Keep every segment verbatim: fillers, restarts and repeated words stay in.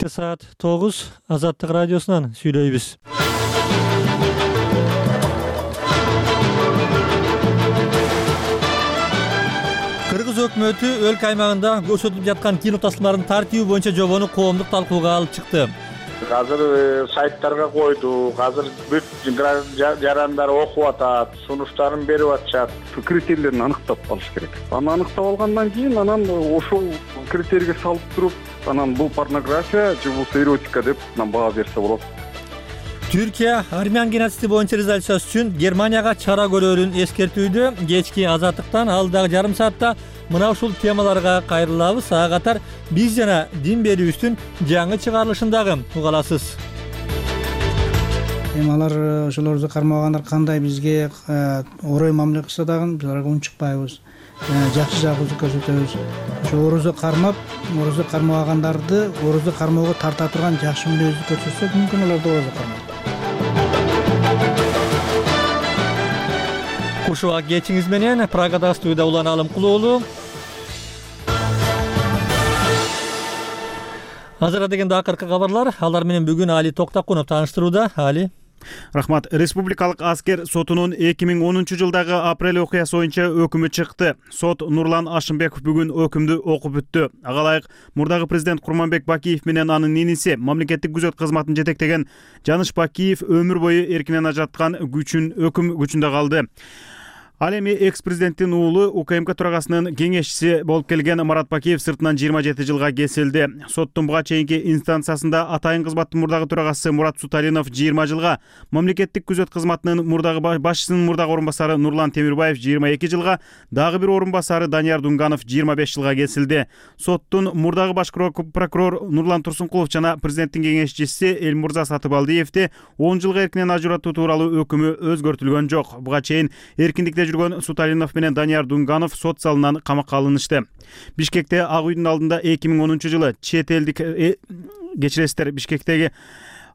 Саат тогуз Азаттык радиосунан сүйлөйбүз. Кыргыз өкмөтү өлкө аймагында көрсөтүлүп жаткан кино тасмаларын тартиби боюнча жобону коомдук талкууга алып чыкты. Азыр сайттарга койду, азыр бүт жарандар окуп атат, сунуштарын берип атышат. Критерийлерин аныктап алыш керек. Аны аныктап алгандан кийин анан ошол критерийге салып туруп, анан бул порнография же бул эротика деп баа берсе болот. Түркия армян геноциди боюнча резолюциясы үчүн Германияга чара көрөрүн эскертүүдө. Кечки Азаттыктан алдагы жарым саатта мына ушул темаларга кайрылабыз. Ага катар биз жана дин берүүбүздүн жаңы чыгарылышындагы угаласыз. Темалар ошолорду кармагандар кандай бизге орой мамиле кылса дагы биз аларга унчукпайбыз. Жакшы жагыбызды көрсөтөбүз. Ошо орозо кармап, орозо кармагандарды орозо кармоого тарта турган жакшы мүнөздү көрсөтсөк, мүмкүн алар да орозо кармайт. Кушуа кечиңиз менен Прагада студияда Улан Алымкулуулу. Азыр дегенде акыркы кабарлар, алар менен бүгүн Али Токтакунов тааныштырууда. Али. Рахмат. Республикалык аскер сотунун эки миң онунчу жылдагы апрель окуясы боюнча өкүмү чыкты. Сот Нурлан Ашымбеков бүгүн өкүмдү окуп бүттү. Ага ылайык мурдагы президент Курманбек Бакиев менен анын иниси мамлекеттик күзөт кызматын жетектеген Жаныш Бакиев өмүр бою эркинен ажыраткан күчүн өкүм күчүндө калды. Ал эми экс-президенттин уулу УКМК төрагасынын кеңешчиси болуп келген Марат Бакиев сыртынан жыйырма жети жылга кесилди. Соттун буга чейинки инстанциясында атайын кызматтын мурдагы төрагасы Мурат Суталинов жыйырма жылга, мамлекеттик күзөт кызматынын мурдагы башчысынын мурдагы орун басары Нурлан Темирбаев жыйырма эки жылга, дагы бир орун басары Данияр Дунганов жыйырма беш жылга кесилди. Соттун мурдагы баш прокурор Нурлан Турсункулов жана президенттин кеңешчиси Элмурза Сатыбалдиевди он жылга эркинен ажыратуу тууралуу өкүмү өзгөртүлгөн жок. Буга чейин эркиндикте жүргөн Суталинов менен Данияр Дунганов сот залынан камакка алынышты. Бишкекте Ак үйдүн алдында эки миң онунчу жылы чет элдик кечиресиздер Бишкектеги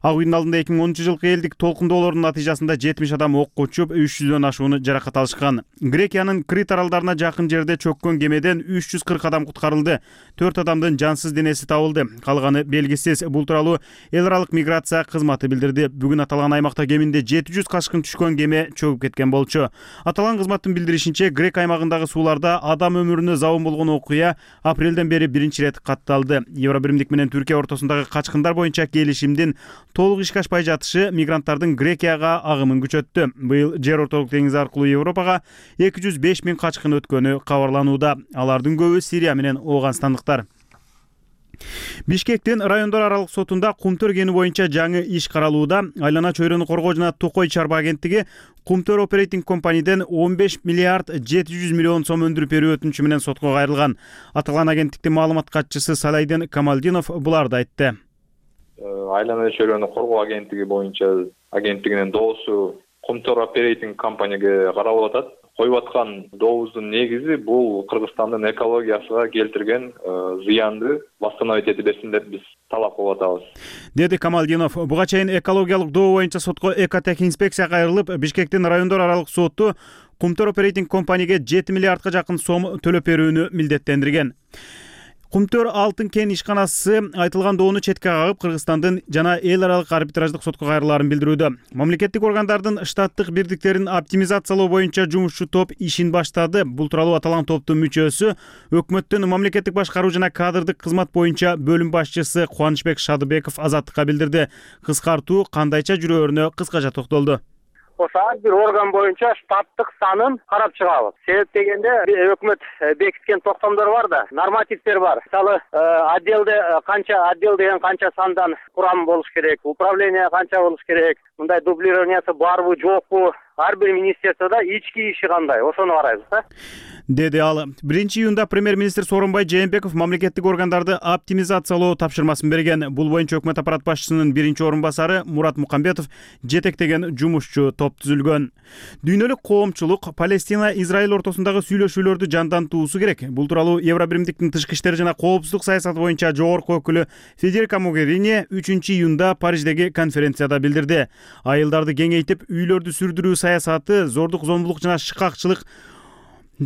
Ак үйдүн алдында эки миң онунчу жылкы элдик толкундоолордун натыйжасында жетимиш адам окко учуп, үч жүздөн ашууну жаракат алышкан. Грекиянын Крит аралдарына жакын жерде чөккөн кемеден үч жүз кырк адам куткарылды. төрт адамдын жансыз денеси табылды. Калганы белгисиз. Бул тууралуу эл аралык миграция кызматы билдирди. Бүгүн аталган аймакта кеминде жети жүз кашкын түшкөн кеме чөгүп кеткен болчу. Аталган кызматтын билдиришинче, Грек аймагындагы сууларда адам өмүрүнө забын болгон окуя апрелден бери биринчи ирет катталды. Евробиримдик менен Түркия ортосундагы качкындар боюнча келишимдин толук ишке ашпай жатышы мигранттардын Грекияга агымын күчөттү. Быйыл жер ортолук деңиз аркылуу Европага эки жүз беш миң качкын өткөнү кабарланууда. Алардын көбү Сирия менен Ооганстандыктар. Бишкектин райондор аралык сотунда Кумтөр кени боюнча жаңы иш каралууда. Айлана чөйрөнү коргоо жана Токой чарба агенттиги Кумтөр оперейтинг компанийден он беш миллиард жети жүз миллион сом өндүрүп берүү өтүнүчү менен сотко кайрылган. Аталган агенттиктин маалымат катчысы Салайдин Камалдинов буларды айтты. Айлана чөйрөнү коргоо агенттиги боюнча агенттигинин доосу Кумтөр оперейтинг компанияга каралып атат. Коюп аткан дообуздун негизи бул Кыргызстандын экологиясына келтирген зыянды восстановить эте берсин деп биз талап кылып атабыз, деди Камалдинов. Буга чейин экологиялык доо боюнча сотко Экотех инспекция кайрылып, Бишкектин райондор аралык соту Кумтөр оперейтинг компанияга жети миллиардга жакын сом төлөп берүүнү милдеттендирген. Кумтөр алтын кен ишканасы айтылган доону четке кагып, Кыргызстандын жана эл аралык арбитраждык сотко кайрылаарын билдирүүдө. Мамлекеттик органдардын штаттык бирдиктерин оптимизациялоо боюнча жумушчу топ ишин баштады. Бул тууралуу аталган топтун мүчөсү өкмөттүн мамлекеттик башкаруу жана кадрдык кызмат боюнча бөлүм башчысы Кубанычбек Шадыбеков Азаттыкка билдирди. Кыскартуу кандайча жүрөөрүнө кыскача токтолду. Ошо ар бир орган боюнча штаттык санын карап чыгабыз. Себеп дегенде өкмөт бекиткен токтомдор бар да, нормативдер бар. Мисалы, отделде канча отдел деген канча сандан курам болуш керек, управление канча болуш керек, мындай дублированиясы барбы, жокпу, ар бир министерствода ички иши кандай, ошону карайбыз да. Деди ал. биринчи июнда премьер-министр Сооронбай Жээнбеков мамлекеттик органдарды оптимизациялоо тапшырмасын берген. Бул боюнча өкмөт аппарат башчысынын биринчи орун басары Мурат Мукамбетов жетектеген жумушчу топ түзүлгөн. Дүйнөлүк коомчулук Палестина Израиль ортосундагы сүйлөшүүлөрдү жандантуусу керек. Бул тууралуу Евробиримдиктин тышкы иштер жана коопсуздук саясаты боюнча жогорку өкүлү Федерика Могерини үчүнчү июнда Париждеги конференцияда билдирди. Айылдарды кеңейтип, үйлөрдү сүрдүрүү саясаты зордук зомбулук жана шыкакчылык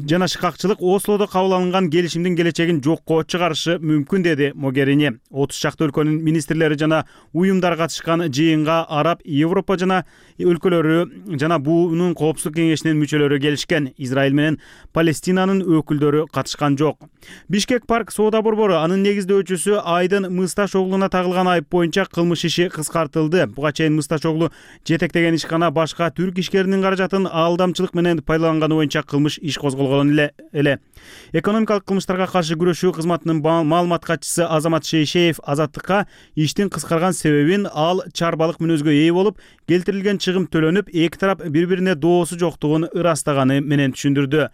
жана шыкакчылык Ослодо кабыл алынган келишимдин келечегин жокко чыгарышы мүмкүн, деди Могерини. отуз чакты өлкөнүн министрлери жана уюмдар катышкан жыйынга Араб, Европа жана өлкөлөрү жана буунун коопсуздук кеңешинин мүчөлөрү келишкен. Израиль менен Палестинанын өкүлдөрү катышкан жок. Бишкек парк соода борбору анын негиздөөчүсү Айдын Мысташоглуна тагылган айып боюнча кылмыш иши кыскартылды. Буга чейин Мысташоглу жетектеген ишкана башка түрк ишкеринин каражатын алдамчылык менен пайдаланганы боюнча кылмыш иш козголгон эле. Экономикалык кылмыштарга каршы күрөшүү кызматынын маалымат катчысы Азамат Шейшеев Азаттыкка иштин кыскарган себебин ал чарбалык мүнөзгө ээ болуп, келтирилген чыгым төлөнүп, эки тарап бири-бирине доосу жоктугун ырастаганы менен түшүндүрдү.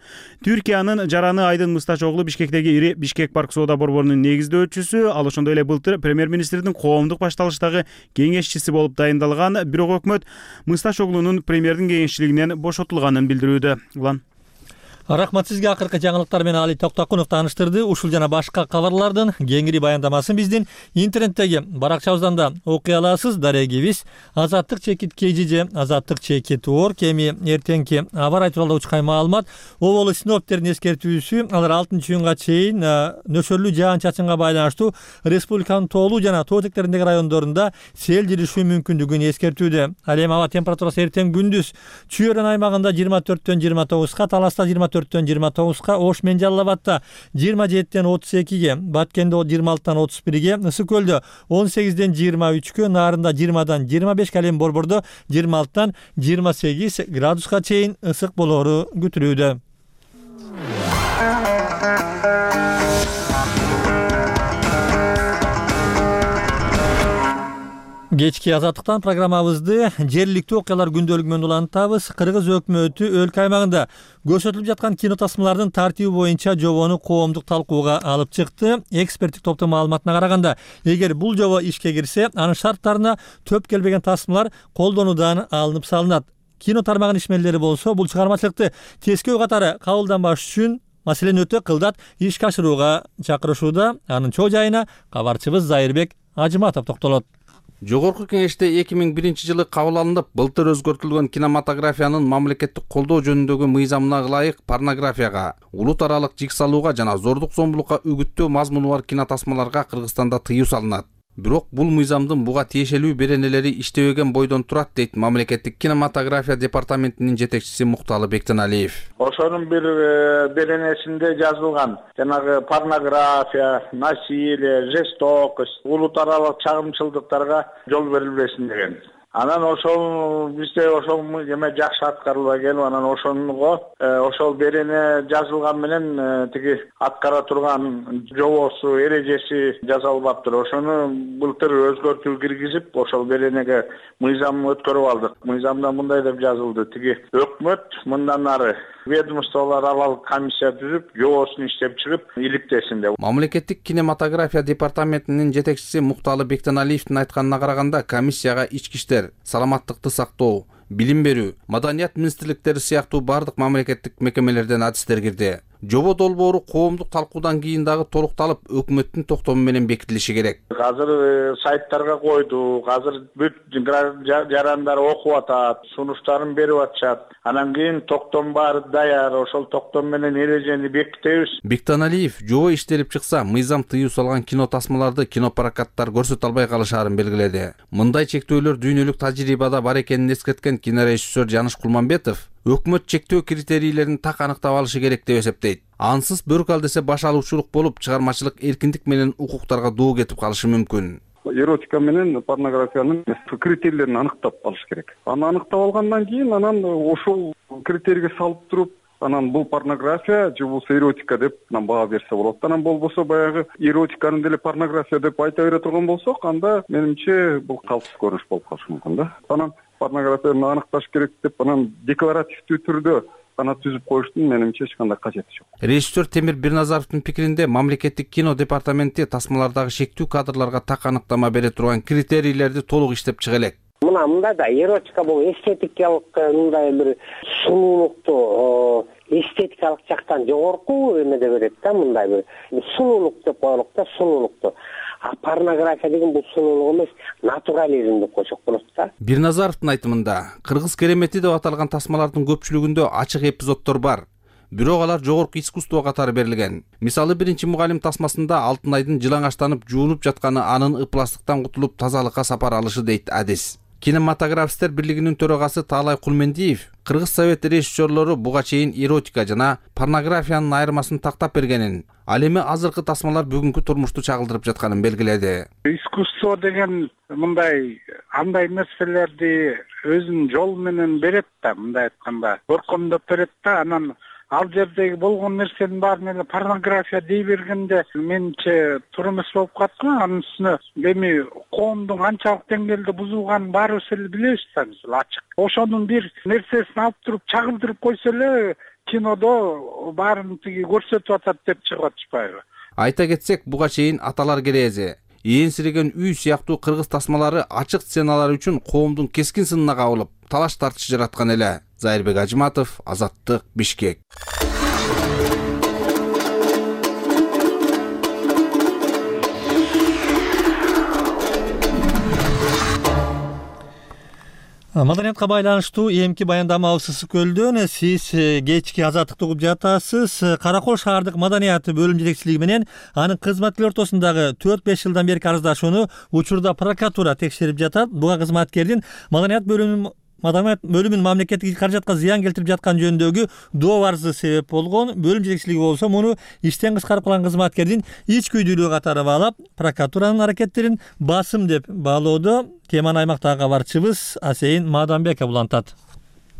Түркиянын жараны Айдын Мысташоглу Бишкектеги ири Бишкек парк соода борборунун негиздөөчүсү, ал ошондой эле былтыр премьер-министрдин коомдук башталыштагы кеңешчиси болуп дайындалган. Бирок өкмөт Мысташоглунун премьердин кеңешчилигинен бошотулганын билдирүүдө. Улан Рахмат сизге. Акыркы жаңылыктар менен Али Токтокунов тааныштырды. Ушул жана башка кабарлардын кеңири баяндамасын биздин интернеттеги баракчабыздан да окуй аласыз. Дарегибиз азаттык чекит kg же азаттык чекит орг. Эми эртеңки аба ырайы тууралуу учкай маалымат. Оболу синоптиктердин эскертүүсү, алар алтынчы июнга чейин нөсөрлүү жаан-чачынга байланыштуу республиканын тоолуу жана тоо этектериндеги райондорунда сел жүрүшү мүмкүндүгүн эскертүүдө. Ал эми аба температурасы эртең күндүз Чүй-Өрөн аймагында жыйырма төрттөн жыйырма тогузга, Таласта жыйырма төрттөн жыйырма тогузга, Ош менен Жалал Абадта жыйырма жетиден отуз экиге, Баткенде жыйырма алтыдан отуз бирге, Ысык Көлдө он сегизден жыйырма үчкө, Нарында жыйырмадан жыйырма бешке, ал эми Борбордо жыйырма алтыдан жыйырма сегиз градуска чейин ысык болоору күтүлүүдө. Кечки азаттыктан программабызды жергиликтүү окуялар күндөлүгү менен улантабыз. Кыргыз өкмөтү өлкө аймагында көрсөтүлүп жаткан кино тасмалардын тартиби боюнча жобону коомдук талкууга алып чыкты. Эксперттик топтун маалыматына караганда, эгер бул жобо ишке кирсе, анын шарттарына төп келбеген тасмалар колдонуудан алынып салынат. Кино тармагынын ишмерлери болсо, бул чыгармачылыкты тескөө катары кабылданбаш үчүн маселени өтө кылдат ишке ашырууга чакырышууда. Анын чоо жайына кабарчыбыз Зайырбек Ажыматов токтолот. Жогорку кеңеште эки миң биринчи жылы кабыл алынып, былтыр өзгөртүлгөн кинематографиянын мамлекеттик колдоо жөнүндөгү мыйзамына ылайык порнографияга, улут аралык жик салууга жана зордук зомбулукка үгүттөө мазмуну бар кинотасмаларга Кыргызстанда тыюу салынат. Бирок бул мыйзамдын буга тиешелүү беренелери иштебеген бойдон турат, дейт мамлекеттик кинематография департаментинин жетекчиси Мукталы Бектеналиев. Ошонун бир беренесинде жазылган жанагы порнография, насилие, жестокость, улут аралык чагымчылдыктарга жол берилбесин деген. Анан ошол бизде ошол эме жакшы аткарылбай келип, анан ошонго ошол берене жазылган менен тиги аткара турган жобосу, эрежеси жасалбаптыр. Ошону былтыр өзгөртүү киргизип, ошол беренеге мыйзам өткөрүп алдык. Мыйзамда мындай деп жазылды: тиги өкмөт мындан ары ведомстволор аралык комиссия түзүп, жобосун иштеп чыгып, иликтесин деп. Мамлекеттик кинематография департаментинин жетекчиси Мукталы Бектеналиевдин айтканына караганда, комиссияга ички иштер, саламаттыкты сактоо, билим берүү, маданият министрликтери сыяктуу бардык мамлекеттик мекемелерден адистер кирди. Жобо долбоору коомдук талкуудан кийин дагы толукталып, өкмөттүн токтому менен бекитилиши керек. Азыр сайттарга койду, азыр бүт жарандар окуп атат, сунуштарын берип атышат. Анан кийин токтом баары даяр, ошол токтом менен эрежени бекитебиз. Бектеналиев жобо иштелип чыкса, мыйзам тыюу салган кино тасмаларды кинопрокаттар көрсөтө албай калышаарын белгиледи. Мындай чектөөлөр дүйнөлүк тажрыйбада бар экенин эскерткен кинорежиссер Жаныш Кулманбетов өкмөт чектөө критерийлерин так аныктап алышы керек деп эсептейт. Ансыз бөрк алдесе баш алуучулук болуп, чыгармачылык эркиндик менен укуктарга доо кетип калышы мүмкүн. Эротика менен порнографиянын критерийлерин аныктап алыш керек. Аны аныктап алгандан кийин анан ошол критерийге салып туруп, анан бул порнография же бул эротика деп баа берсе болот. Анан болбосо баягы эротиканы деле порнография деп айта бере турган болсок, анда менимче бул калпсыз көрүнүш болуп калышы мүмкүн да. Анан порнографияны аныкташ керек деп, анан декларативдүү түрдө ана түзүп коюштун менимче эч кандай кажети жок. Режиссер Темир Бирназаровдун пикиринде, мамлекеттик кино департаменти тасмалардагы шектүү кадрларга так аныктама бере турган критерийлерди толук иштеп чыга элек. Мына мындай да эротика бул эстетикалык мындай бир сунуулукту эстетикалык жактан жогорку эмеде берет да, мындай бир сунуулук деп коелук да, сунуулукту. А порнография деген бул сунуулук эмес, натурализм деп койсок болот да. Бирназаровдун айтымында, Кыргыз керемети деп аталган тасмалардын көпчүлүгүндө ачык эпизоддор бар. бирок алар жогорку искусство катары берилген. Мисалы, биринчи мугалим тасмасында Алтынайдын жылаңачтанып жуунуп жатканы анын ыпластыктан кутулуп тазалыкка сапар алышы дейт адис. Кинематографисттер бирлигинин төрагасы Таалай Кулмендиев Кыргыз Совет режиссерлору буга чейин эротика жана порнографиянын айырмасын тактап бергенин, ал эми азыркы тасмалар бүгүнкү турмушту чагылдырып жатканын белгиледи. Искусство деген мындай андай нерселерди өзүнүн жолу менен берет да, мындай айтканда, көркөмдөп берет да, анан ал жердеги болгон нерсенин баарын эле порнография дей бергенде менимче туура эмес болуп калат го. Анын үстүнө эми коомдун канчалык деңгээлде бузулганын баарыбыз эле билебиз да, ачык. Ошонун бир нерсесин алып туруп чагылдырып койсо эле кинодо баарын тиги көрсөтүп атат деп чыгып атышпайбы? Айта кетсек, буга чейин Аталар керээзи, Ээнсиреген үй сыяктуу кыргыз тасмалары ачык сценалар үчүн коомдун кескин сынына кабылып, талаш тартыш жараткан эле. Зайырбек Ажыматов, Азаттык, Бишкек. Маданиятка байланыштуу эмки баяндамабыз ысык көлдөн сиз кечки Азаттыкты угуп жатасыз. Каракол шаардык маданият бөлүм жетекчилиги менен анын кызматкерлери ортосундагы төрт беш жылдан берки арыздашууну учурда прокуратура текшерип жатат. Буга кызматкердин маданият бөлүмүнүн Маданият бөлүмүнүн мамлекеттик каражатка зыян келтирип жаткан жөнүндөгү доо арызы себеп болгон. Бөлүм жетекчилиги болсо муну иштен кыскарып калган кызматкердин ич күйдүүлүгү катары баалап, прокуратуранын аракеттерин басым деп баалоодо. Теманы аймактагы кабарчыбыз Асейин Маданбеков улантат.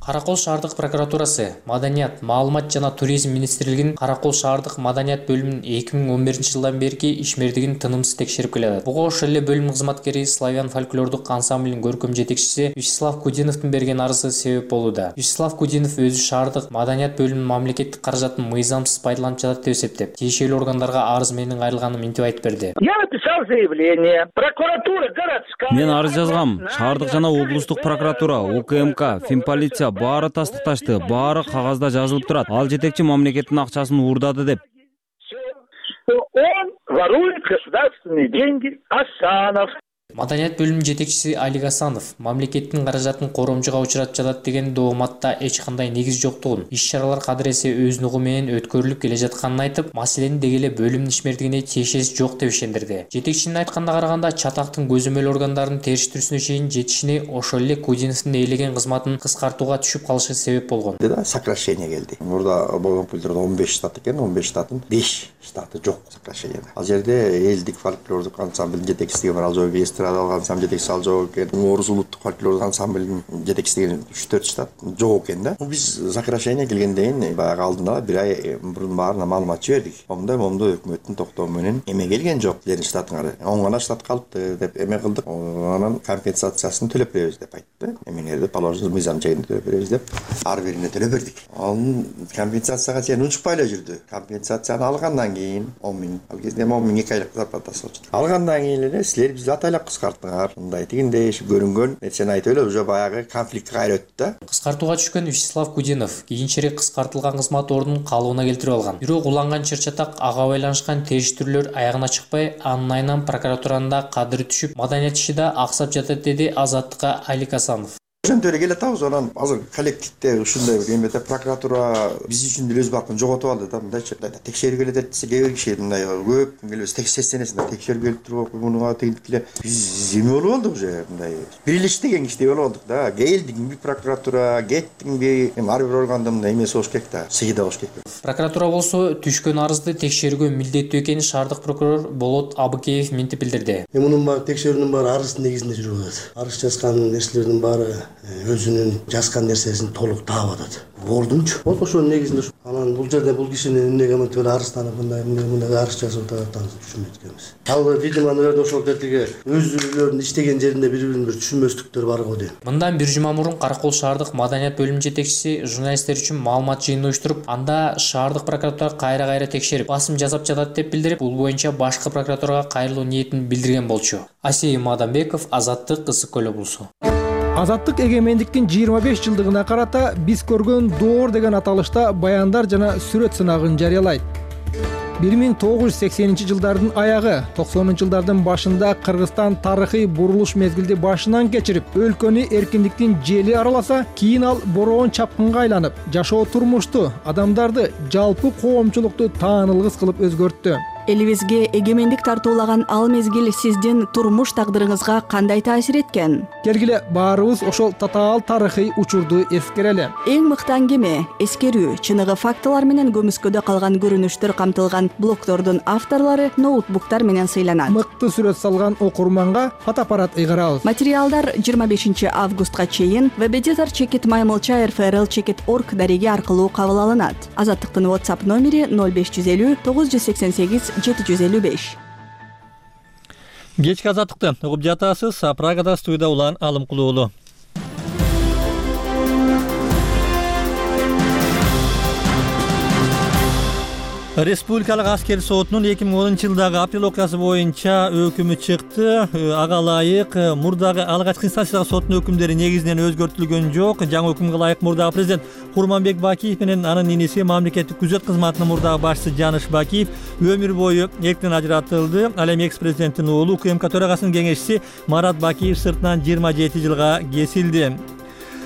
Каракол шаардык прокуратурасы, Маданият, маалымат жана туризм министрлигинин Каракол шаардык маданият бөлүмүнүн эки миң он биринчи жылдан берки ишмердигин тынымсыз текшерип келет. Буга ошол эле бөлүм кызматкери Славян фольклордук ансамблинин көркөм жетекчиси Вячеслав Кудиновдун берген арызы себеп болууда. Вячеслав Кудинов өзү шаардык маданият бөлүмүнүн мамлекеттик каражатын мыйзамсыз пайдаланып жатат деп эсептеп, тиешелүү органдарга арыз менен кайрылганын минтип айтып берди. Я написал заявление. Прокуратура городская. Мен арыз жазгам. Шаардык жана облустук прокуратура, УКМК, Финполиция баары тастыкташты, баары кагазда жазылып турат. Ал жетекчи мамлекеттин акчасын уурдады деп. Он ворует государственные деньги. Асанов. Маданият бөлүмүнүн жетекчиси Алик Асанов мамлекеттин каражатын коромжуга учуратып жатат деген дооматта эч кандай негиз жоктугун, иш-чаралар кадыресе өз нугу менен өткөрүлүп келе жатканын айтып, маселени деги эле бөлүмдүн ишмердигине тиешеси жок деп ишендирди. Жетекчинин айтканына караганда, чатактын көзөмөл органдарынын териштирүүсүнө чейин жетишине ошол эле Кудиновдун ээлеген кызматын кыскартууга түшүп калышы себеп болгон. Сокращение келди. Мурда болгон пулдордо он беш штат экен, он беш штаттын беш штаты жок сокращениеде. Ал жерде элдик фольклордук ансамблдин жетекчиси бар, ал жолу алган сам жетекчиси ал жок экен. Орус улуттук фольклордук ансамблдин жетекчиси үч төрт штат жок экен да. Биз сокращение келгенден кийин баягы алдында бир ай мурун баарына маалымат жибердик. Момундай момундай өкмөттүн токтоо менен эме келген жок, силердин штатыңар он гана штат калыпты деп эме кылдык. Анан компенсациясын төлөп беребиз деп айтты. Эмелерди положено мыйзам жайында төлөп беребиз деп ар бирине төлөп бердик. Анын компенсацияга чейин унчукпай эле жүрдү. Компенсацияны алгандан кийин он миң, ал кезде он миң эки айлык зарплатасы болчу. Алгандан кийин эле силер бизди атайлап кыскарттыңар, мындай тигиндей көрүнгөн нерсени айтып эле уже баягы конфликтке кайра өттү да. Кыскартууга түшкөн Вячеслав Кудинов кийинчерээк кыскартылган кызмат ордунун калыбына келтирип алган. Бирок уланган чыр-чатак ага байланышкан териштирүүлөр аягына чыкпай, анын айынан прокуратуранын да кадыры түшүп, маданият иши да аксап жатат, деди Азаттыкка Алик Асанов. Ошентип эле келатабыз. Анан азыр коллективде ушундай бир эмете прокуратура биз үчүн деле өз бактын жоготуп алды да. Мындайчы текшерүү келет десе, кээ бир киши мындай көп келбес текшерсенесин текшерүү келип туруп мунуга тигип эле биз эме болуп алдык уже, мындай бирлиштеген киши болуп алдык да. Келдиңби прокуратура, кеттиңби, эми ар бир органда мындай эмеси болуш керек да, сыйда болуш керек. Прокуратура болсо түшкөн арызды текшерүүгө милдеттүү экенин шаардык прокурор Болот Абыкеев минтип билдирди. Мунун баары текшерүүнүн баары арыздын негизинде жүрүп атат. Арыз жазган нерселердин баары өзүнүн жазган нерсесин толук таап атат. Ордунчу. Вот ошонун негизинде анан бул жерде бул кишини эмнеге мынтип эле арызданып мындай мындай арыз жазып атат түшүнбөйт экенбиз. Ал видимо анын ошол тетиги өзүлөрүнүн иштеген жеринде бири-бирин бир түшүнбөстүктөр бар го дейм. Мындан бир жума мурун Каракол шаардык маданият бөлүмүнүн жетекчиси журналисттер үчүн маалымат жыйынын уюштуруп, анда шаардык прокуратура кайра-кайра текшерип, басым жасап жатат деп билдирип, бул боюнча башкы прокуратурага кайрылуу ниетин билдирген болчу. Асей Маданбеков, Азаттык, Ысык көл облусу. Азаттык эгемендиктин жыйырма беш жылдыгына карата биз көргөн доор деген аталышта баяндар жана сүрөт сынагын жарыялайт. бир миң тогуз жүз сексенинчи жылдардын аягы токсонунчу жылдардын башында Кыргызстан тарыхый бурулуш мезгилди башынан кечирип, өлкөнү эркиндиктин жели араласа, кийин ал бороон чапкынга айланып, жашоо турмушту, адамдарды, жалпы коомчулукту таанылгыс кылып өзгөрттү. Элибизге эгемендик тартуулаган ал мезгил сиздин турмуш тагдырыңызга кандай таасир эткен? Келгиле баарыбыз ошол татаал тарыхый учурду эскерели. Эң мыкты аңгеме, эскерүү, чыныгы фактылар менен көмүскөдө калган көрүнүштөр камтылган блогдордун авторлору ноутбуктар менен сыйланат. Мыкты сүрөт салган окурманга фотоаппарат ыйгарабыз. Материалдар жыйырма бешинчи августка чейин веб-эдитор чекит маймылча эр эф эр эл чекит орг дареги аркылуу кабыл алынат. Азаттыктын WhatsApp номери ноль беш жүз элүү тогуз жүз сексен сегиз жети жүз элүү беш. Кечки азаттыкты угуп жатасыз. Прагада студияда Улан Алымкулуулу. Республикалык аскер сотунун эки миң онунчу жылдагы апрель окуясы боюнча өкүмү чыкты. Ага ылайык мурдагы алгачкы инстанциядагы соттун өкүмдөрү негизинен өзгөртүлгөн жок. Жаңы өкүмгө ылайык мурдагы президент Курманбек Бакиев менен анын иниси мамлекеттик күзөт кызматынын мурдагы башчысы Жаныш Бакиев өмүр бою эрктен ажыратылды. Ал эми экс-президенттин уулу УКМК төрагасынын кеңешчиси Марат Бакиев сыртынан жыйырма жети жылга кесилди.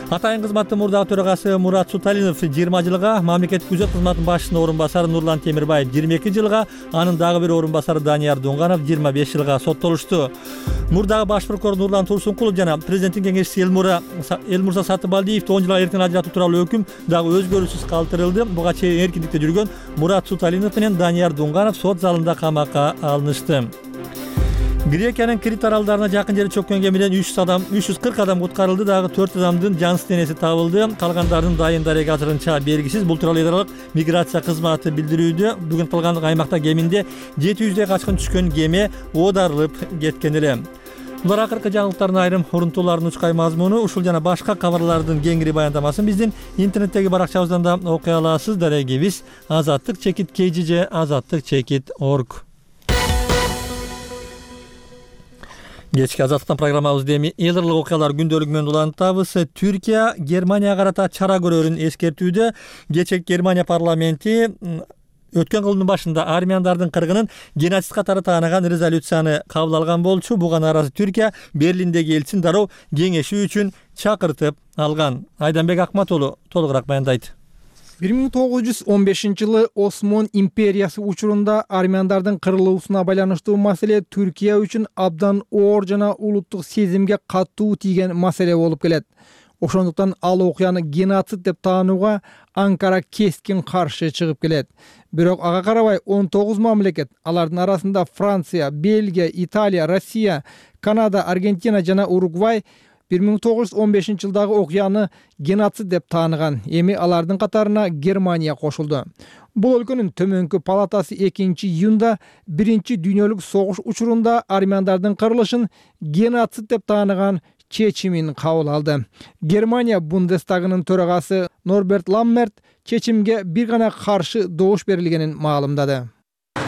Атайын кызматтын мурдагы төрагасы Мурат Суталинов жыйырма жылга, мамлекеттик күзөт кызматынын башчысынын орун басары Нурлан Темирбаев жыйырма эки жылга, анын дагы бир орун басары Данияр Дунганов жыйырма беш жылга соттолушту. Мурдагы баш прокурор Нурлан Турсункулов жана президенттин кеңешчиси Элмура Элмурза Сатыбалдиевди он жылга эрктен ажыратуу тууралуу өкүм дагы өзгөрүүсүз калтырылды. Буга чейин эркиндикте жүргөн Мурат Суталинов менен Данияр Дунганов сот залында камакка алынышты. Грекиянын Крит аралдарына жакын жерде чөккөн кемеден үч жүз адам, үч жүз кырк адам куткарылды, дагы төрт адамдын жансыз денеси табылды. Калгандардын дайын дареги азырынча белгисиз. Бул тууралуу эл аралык миграция кызматы билдирүүдө. Бүгүн калган аймакта кеминде жети жүздөй качкын түшкөн кеме оодарылып кеткен эле. Булар акыркы жаңылыктардын айрым урунтууларынын учкай мазмуну. Ушул жана башка кабарлардын кеңири баяндамасын биздин интернеттеги баракчабыздан да окуй аласыз. Дарегибиз азаттык чекит кей жи же азаттык чекит орг. Кечки азаттыктан программабызды эми эл аралык окуялар күндөлүгү менен улантабыз. Түркия Германияга карата чара көрөрүн эскертүүдө. Кечээ Германия парламенти өткөн кылымдын башында армяндардын кыргынын геноцид катары тааныган резолюцияны кабыл алган болчу. Буга арасы Түркия Берлиндеги элчисин дароо кеңешүү үчүн чакыртып алган. Айданбек Акматулу толугураак баяндайт. бир миң тогуз жүз он бешинчи жылы Осмон империясы учурунда армяндардын кырылуусуна байланыштуу маселе Түркия үчүн абдан оор жана улуттук сезимге катуу тийген маселе болуп келет. Ошондуктан ал окуяны геноцид деп таанууга Анкара кескин каршы чыгып келет. Бирок ага карабай он тогуз мамлекет, алардын арасында Франция, Бельгия, Италия, Россия, Канада, Аргентина жана Уругвай бир миң тогуз жүз он бешинчи жылдагы окуяны геноцид деп тааныган. Эми алардын катарына Германия кошулду. Бул өлкөнүн төмөнкү палатасы экинчи июнда биринчи дүйнөлүк согуш учурунда армяндардын кырылышын геноцид деп тааныган чечимин кабыл алды. Германия Бундестагынын төрагасы Норберт Ламмерт чечимге бир гана каршы добуш берилгенин маалымдады.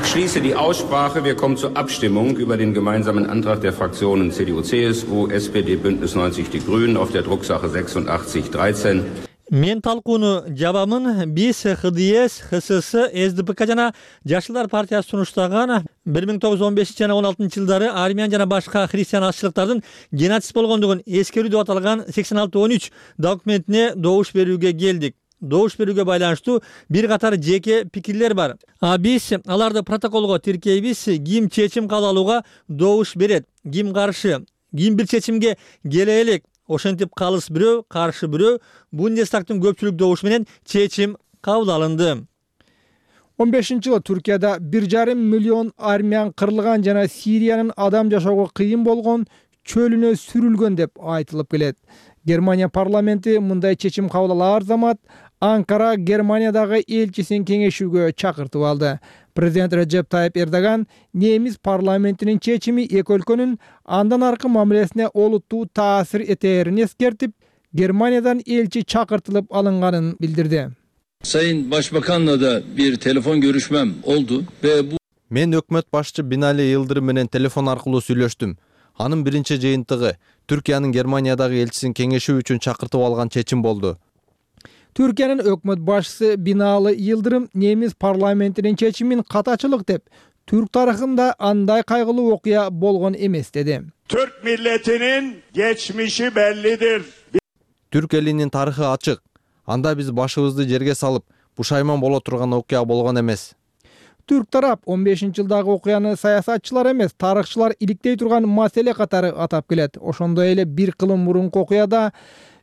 Ich schließe die Aussprache. Wir kommen zur Abstimmung über den gemeinsamen Antrag der Fraktionen C D U, C S U, S P D, Bündnis neunzig Die Grünen auf der Drucksache сексен dreizehn. Мен талкууну жабамын. Биз Х Д С, Х С С, С Д П К жана Жашылдар партиясы сунуштаган бир миң тогуз жүз он бешинчи жана он алтынчы жылдары армян жана башка христиан азчылыктардын геноцид болгондугун эскерүү деп аталган сексен алты он үч документине добуш берүүгө келдик. Добуш берүүгө байланыштуу бир катар жеке пикирлер бар. А биз аларды протоколго тиркейбиз. Ким чечим кабыл алууга добуш берет, ким каршы, ким бир чечимге келе элек. Ошентип калыс бирөө, каршы бирөө. Бундестагдын көпчүлүк добушу менен чечим кабыл алынды. он бешинчи жылы Түркияда бир жарым миллион армян кырылган жана Сириянын адам жашоого кыйын болгон чөлүнө сүрүлгөн деп айтылып келет. Германия парламенти мындай чечим кабыл алар замат Анкара Германиядагы элчисин кеңешүүгө чакыртып алды. Президент Реджеп Тайып Эрдоган немис парламентинин чечими эки өлкөнүн андан аркы мамилесине олуттуу таасир этерин эскертип, Германиядан элчи чакыртылып алынганын билдирди. Sayın Başbakan'la da bir telefon görüşmem oldu ve bu Мен өкмөт башчы Бинали Йылдырым менен телефон аркылуу сүйлөштүм. Анын биринчи жыйынтыгы Түркиянын Германиядагы элчисин кеңешүү үчүн чакыртып алган чечим болду. Түркиянын өкмөт башчысы Бинали Йылдырым немис парламентинин чечимин катачылык деп, Türk tarixinde anday kaygılı okuya bolgon emes dedi. Türk milletinin geçmişi bellidir. Türk elinin tarixi açık. Анда биз башыбызды жерге салып, бушайман боло турган окуя болгон эмес. Türk tarap он бешинчи жылдагы окуяны саясатчылар эмес, тарыхчылар иликтей турган маселе катары атап келет. Ошондой эле бир кылым мурунку окуяда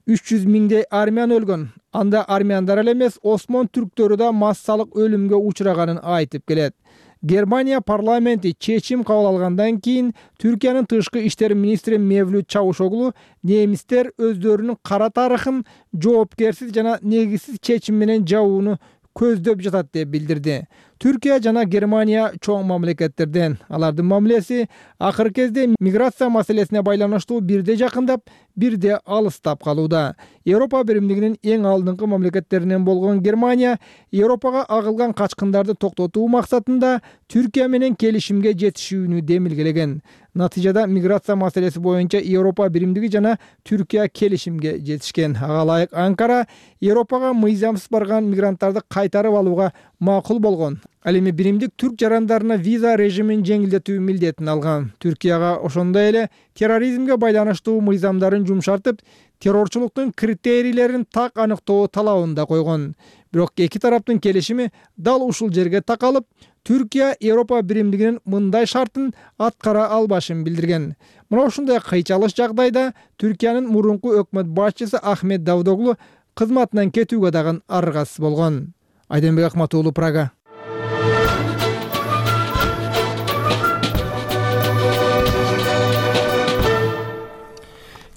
үч жүз миңдей армян өлгөн. Анда армяндар эле эмес, Осмон түрктөрү да массалык өлүмгө учураганын айтып келет. Германия парламенти чечим кабыл алгандан кийин Түркиянын тышкы иштер министри Мевлют Чавушоглу немистер өздөрүнүн кара тарыхын жоопкерсиз жана негизсиз чечим менен жабууну көздөп жатат деп билдирди. Түркия жана Германия чоң мамлекеттерден. Алардын мамилеси акыркы кезде миграция маселесине байланыштуу бирде жакындап, бирде алыстап калууда. Европа биримдигинин эң алдыңкы мамлекеттеринен болгон Германия Европага агылган качкындарды токтотуу максатында Түркия менен келишимге жетишүүнү демилгелеген. Натыйжада миграция маселеси боюнча Европа биримдиги жана Түркия келишимге жетишкен. Ага ылайык Анкара Европага мыйзамсыз барган мигранттарды кайтарып алууга макул болгон. Ал эми биримдик түрк жарандарына виза режимин жеңилдетүү милдетин алган. Түркияга ошондой эле терроризмге байланыштуу мыйзамдарын жумшартып, террорчулуктун критерийлерин так аныктоо талабын да койгон. Бирок эки тараптын келишими дал ушул жерге такалып, Түркия Европа биримдигинин мындай шартын аткара албашын билдирген. Мына ушундай кыйчалыш жагдайда Түркиянын мурунку өкмөт башчысы Ахмет Давдоглу кызматынан кетүүгө дагы аргасыз болгон. Айденбек Акматуулу, Прага.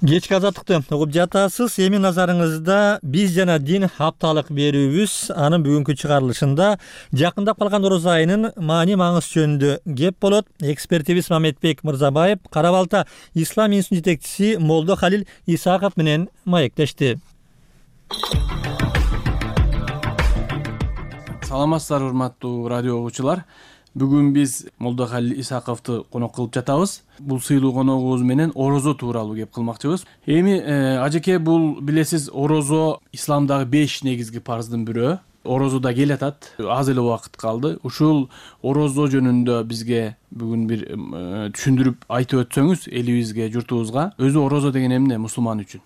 Кечки азаттыкты угуп жатасыз. Эми назарыңызда биз жана дин хапталык берүүбүз. Анын бүгүнкү чыгарылышында жакындап калган ороз айынын маани маңыз жөнүндө кеп болот. Экспертибиз Мамедбек Мырзабаев Кара Балта Ислам институтунун жетекчиси Молдо Халил Исаков менен маектешти. Саламатсыздар, урматтуу радио угуучулар. Бүгүн биз Молдо Халил Исаковду конок кылып жатабыз. Бул сыйлуу коногубуз менен орозо тууралуу кеп кылмакчыбыз. Эми ажеке, бул билесиз, орозо исламдагы беш негизги парздын бирөө. Орозо да келатат, аз эле убакыт калды. Ушул орозо жөнүндө бизге бүгүн бир түшүндүрүп айтып өтсөңүз элибизге, журтубузга. Өзү орозо деген эмне мусулман үчүн?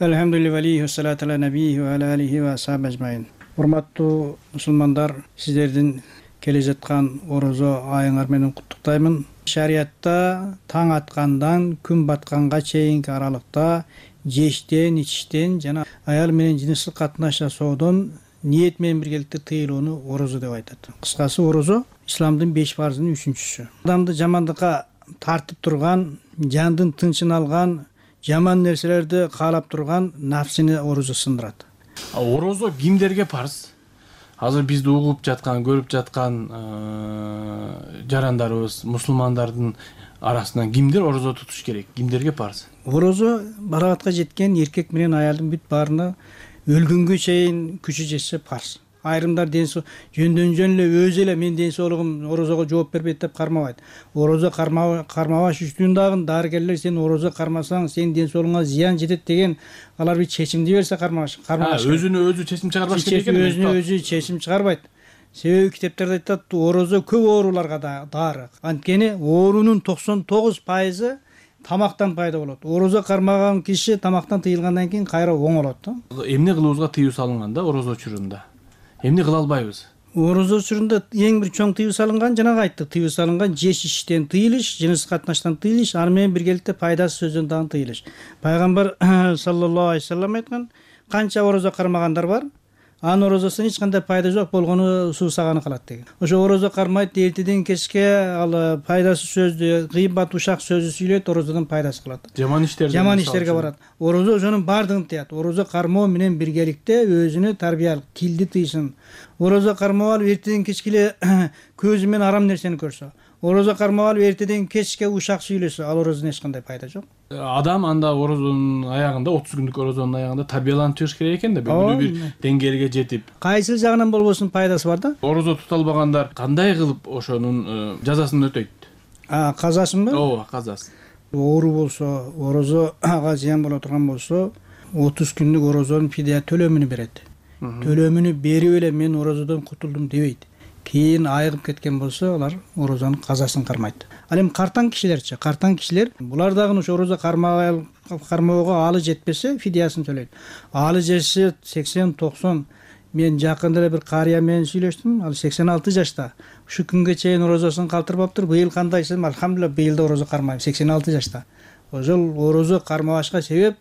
Элхамдулиллахи ва салату ала набийи ва аля алихи ва асхаби ажмаин. Урматтуу мусулмандар, сиздердин келе жаткан орозо айыңар менен куттуктаймын. Шариятта таң аткандан күн батканга чейинки аралыкта жештен, ичиштен жана аял менен жыныстык катнаш жасоодон ниет менен биргеликте тыйылууну орозо деп айтат. Кыскасы, орозо исламдын беш парзынын үчүнчүсү. Адамды жамандыкка тартып турган, жандын тынчын алган, жаман нерселерди каалап турган нафсини орозо сындырат. Орозо кимдерге парз? Азыр бизди угуп жаткан, көрүп жаткан жарандарыбыз, мусулмандардын арасынан кимдер орозо тутуш керек? Кимдерге парз? Орозо барагатка жеткен эркек менен аялдын бүт баарына өлгөнгө чейин күчү жетсе парз. Айрымдар ден жөндөн жөн эле өзү эле мен ден соолугум орозого жооп бербейт деп кармабайт. Орозо кармабаш үчүн дагы дарыгерлер сен орозо кармасаң сенин ден соолугуңа зыян жетет деген алар бир чечимди берсе кармабаш. Өзүнө өзү чечим чыгарбаш керек экен. Өзүнө өзү чечим чыгарбайт. Себеби китептерде айтат, орозо көп ооруларга да дары. Анткени оорунун токсон тогуз пайызы тамактан пайда болот. Орозо кармаган киши тамактан тыйылгандан кийин кайра оңолот. Эмне кылуубузга тыюу салынган да орозо учурунда? Эмне кыла албайбыз? Орозо учурунда эң бир чоң тыюу салынган, жана айттык, тыюу салынган жеш иштен тыйылыш, жыныстык катнаштан тыйылыш, аны менен биргеликте пайдасыз сөздөн дагы тыйылыш. Пайгамбар саллаллаху алейхи ва саллям айткан, канча орозо кармагандар бар, анын орозосунун эч кандай пайда жок болгону суусаганы калат деген. Ошо орозо кармайт, эртеден кечке ал пайдасыз сөздү, кыйбат ушак сөздү сүйлөйт, орозодон пайдасы калат. Жаман иштерге жаман иштерге барат. Орозо ошонун бардыгын тыят. Орозо кармоо менен биргеликте өзүнө тарбиялык килди тыйсын. Орозо кармап алып эртеден кечке эле көзү менен арам нерсени көрсө, орозо кармап алып эртеден кечке ушак сүйлөсө, ал орозодон эч кандай пайда жок. Адам анда орозонун аягында, отуз күндүк орозонун аягында тарбияланып чыгыш керек экен да, белгилүү бир деңгээлге жетип. Кайсыл жагынан болбосун пайдасы бар да. Орозо тута албагандар кандай кылып ошонун жазасын өтөйт? А, казасынбы? Ооба, казасы. Оору болсо, орозо ага зыян боло турган болсо, отуз күндүк орозонун фидия төлөмүнү берет. Төлөмүнү берип эле мен орозодон кутулдум дебейт. Кийин айыгып кеткен болсо алар орозонун казасын кармайт. Ал эми картаң кишилерчи, картаң кишилер булар дагы ошо орозо кармоого алы жетпесе фидиясын төлөйт. Алы жетсе сексен токсон. Мен жакында эле бир карыя менен сүйлөштүм. Ал сексен алты жашта. Ушу күнгө чейин орозосун калтырбаптыр. Быйыл кандайсың? Алхамдулилла, быйыл да орозо кармайм. сексен алты жашта. Ошол орозо кармабашка себеп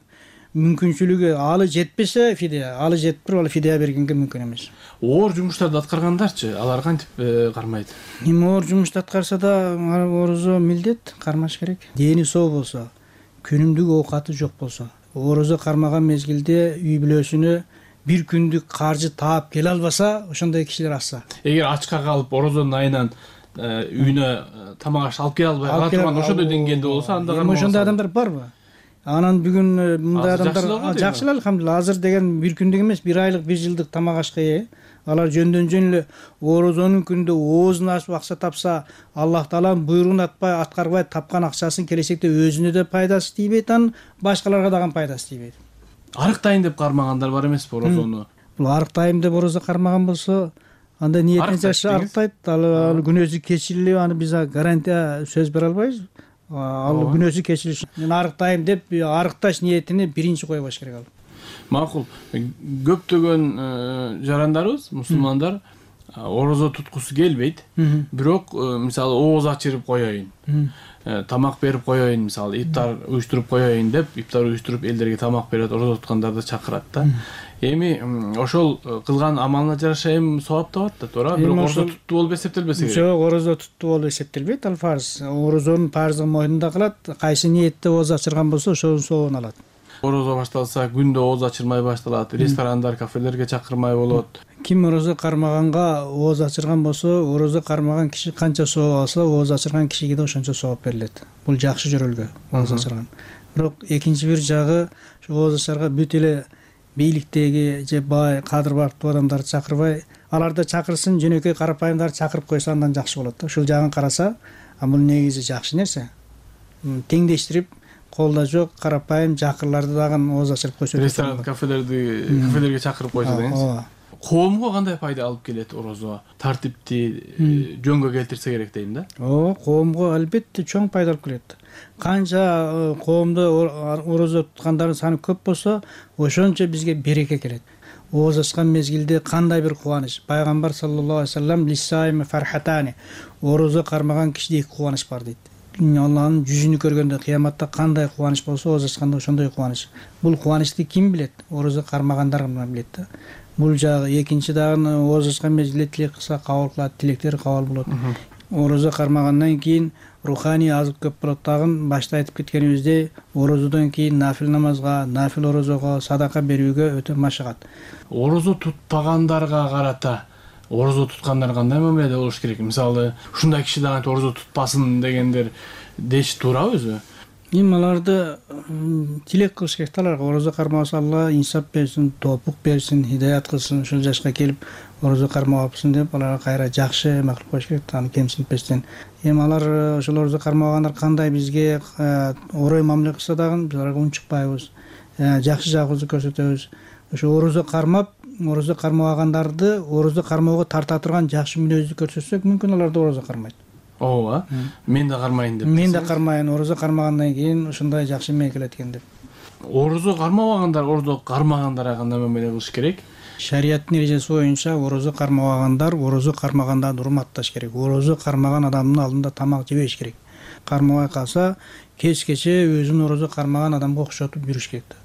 мүмкүнчүлүгү алы жетпесе фидия, алы жетип туруп ал фидия бергенге мүмкүн эмес. Оор жумуштарды аткаргандарчы, алар кантип кармайт? Эми оор жумушту аткарса да орозо милдет кармаш керек. Дени соо болсо, күнүмдүк оокаты жок болсо, орозо кармаган мезгилде үй бүлөсүнө бир күндүк каржы таап келе албаса, ошондой кишилер азса. Эгер ачка калып орозонун айынан үйүнө тамак аш алып келе албай кала турган ошондой деңгээлде болсо, анда эми ошондой адамдар барбы? Анан бүгүн мындай адамдар жакшы эле, алхамдулилла. Азыр деген бир күндүк эмес, бир айлык, бир жылдык тамак ашка ээ. Алар жөндөн жөн эле орозонун күндө оозун ачып акча тапса, Аллах Тааланын буйругун атпай, аткарбай тапкан акчасын келечекте өзүнө да пайдасы тийбейт, анан башкаларга дагы пайдасы тийбейт. Арыктайын деп кармагандар бар эмеспи орозону? Бул арыктайм деп орозо кармаган болсо, анда ниетине жараша арыктайт. Ал күнөөсү кечирилип, аны биз гарантия сөз бере албайбыз. Ал күнөөсү кечирилиш. Мен арыктайм деп арыкташ ниетини биринчи койбош керек ал. Макул. Көптөгөн жарандарыбыз, мусулмандар орозо туткусу келбейт. Бирок мисалы ооз ачырып коеюн, тамак берип коеюн, мисалы ифтар уюштуруп коеюн деп, ифтар уюштуруп элдерге тамак берет, орозо туткандарды чакырат да. Эми ошол кылган амалына жараша эми сооп табат да, туура? Бирок орозо туттуу болуп эсептелбесе керек. Жок, орозо туттуу болуп эсептелбейт, ал фарз. Орозонун парздыгы мойнунда калат, кайсы ниетте ооз ачырган болсо, ошонун сообун алат. Орозо башталса, күндө ооз ачырмай башталат, ресторандар, кафелерге чакырмай болот. Ким орозо кармаганга ооз ачырган болсо, орозо кармаган киши канча сооп алса, ооз ачырган кишиге да ошончо сооп берилет. Бул жакшы жөрөлгө, ооз ачырган. Бирок экинчи бир жагы, ооз ачырга бүт эле бийликтеги же бай, кадыр бактуу адамдарды чакырбай, аларды чакырсын, жөнөкөй карапайымдарды чакырып койсо андан жакшы болот да. Ушул жагын караса, бул негизи жакшы нерсе. Теңдештирип, колдо жок карапайым жакырларды дагы ооз ачырып койсо. Ресторан, кафелерди, кафелерге чакырып койсо деңиз. Коомго кандай пайда алып келет орозо? Тартипти жөнгө келтирсе керек дейм да. Ооба, коомго албетте чоң пайда алып келет. Канча коомдо орозо туткандардын саны көп болсо, ошончо бизге береке келет. Ооз ачкан мезгилде кандай бир кубаныч. Пайгамбар саллаллаху алейхи вассалам лиссайми фархатани. Орозо кармаган кишиде эки кубаныч бар дейт. Алланын жүзүнү көргөндө кыяматта кандай кубаныч болсо, ооз ачканда ошондой кубаныч. Бул кубанычты ким билет? Орозо кармагандар гана билет да. Бул жагы экинчи дагы ооз ачкан мезгилде тилек кылса кабыл кылат, тилектери кабыл болот. Орозо кармагандан кийин руханий азык көп болот. Дагы башта айтып кеткенибиздей, орозодон кийин нафил намазга, нафил орозого, садака берүүгө өтө машыгат. Орозо тутпагандарга карата орозо туткандар кандай мамиледе болуш керек? Мисалы, ушундай киши дагы орозо тутпасын дегендер деш туурабы өзү? Эми аларды тилек кылыш керек. Аларга орозо кармаса Алла инсап берсин, тоопук берсин, хидаят кылсын, ушул жашка келип орозо кармабапсың деп аларга кайра жакшы эме кылып коюш керек, аны кемсинтпестен. Эми алар ошол орозо кармагандар кандай бизге орой мамиле кылса дагы биз аларга унчукпайбыз. Жакшы жагыбызды көрсөтөбүз. Ошо орозо кармап, орозо кармабагандарды орозо кармоого тарта турган жакшы мүнөздү көрсөтсөк, мүмкүн алар да орозо кармайт. Ооба. Мен да кармайын деп. Мен да кармайын, орозо кармагандан кийин ушундай жакшы эме келет экен деп. Орозо кармабагандар, орозо кармагандарга кандай мамиле кылыш керек? Шариаттын эрежеси боюнча орозо кармабагандар орозо кармагандарды урматташ керек. Орозо кармаган адамдын алдында тамак жебеш керек. Кармабай калса, кечкече өзүн орозо кармаган адамга окшотуп жүрүш керек.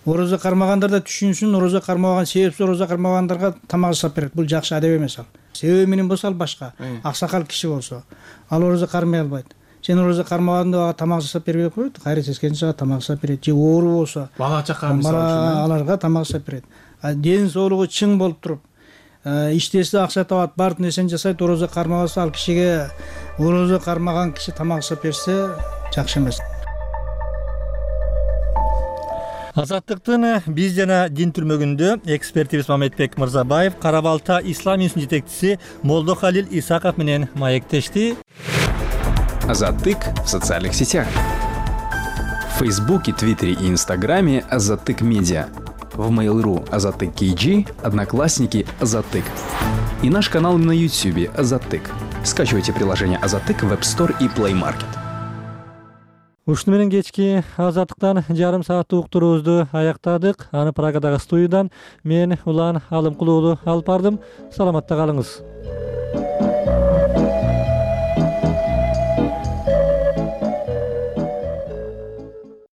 Орозо кармагандар да түшүнсүн, орозо кармаган себепсиз орозо кармагандарга тамак жасап берет. Бул жакшы адеп эмес ал. Себеби менен болсо ал башка. Аксакал киши болсо, ал орозо кармай албайт. Сен орозо кармаганда тамак жасап бербей коет, кайра сескенче тамак жасап берет. Же оору болсо, бала чака мисалы үчүн аларга тамак жасап берет. Ден соолугу чың болуп туруп, иштесе акча табат, баардык нерсени жасайт, орозо кармабаса ал кишиге орозо кармаган киши тамак жасап берсе жакшы эмес. Азаттыктын биз жана дин түрмөгүндө экспертибиз Мамедбек Мырзабаев Кара Балта ислам институтунун жетекчиси Молдохалил Исаков менен маектешти. Азаттык в социальных сетях. Фейсбуке, Твиттере и Инстаграме Азаттык Медиа. В Mail.ru Азаттык кей джи, Одноклассники Азаттык. И наш канал на Ютубе Азаттык. Скачивайте приложение Азаттык в App Store и Play Market. Ушуну менен кечки Азаттыктан жарым сааттык уктуруубузду аяктадык. Аны Прагадагы студиядан мен Улан Алымкулуулу алып бардым. Саламатта калыңыз.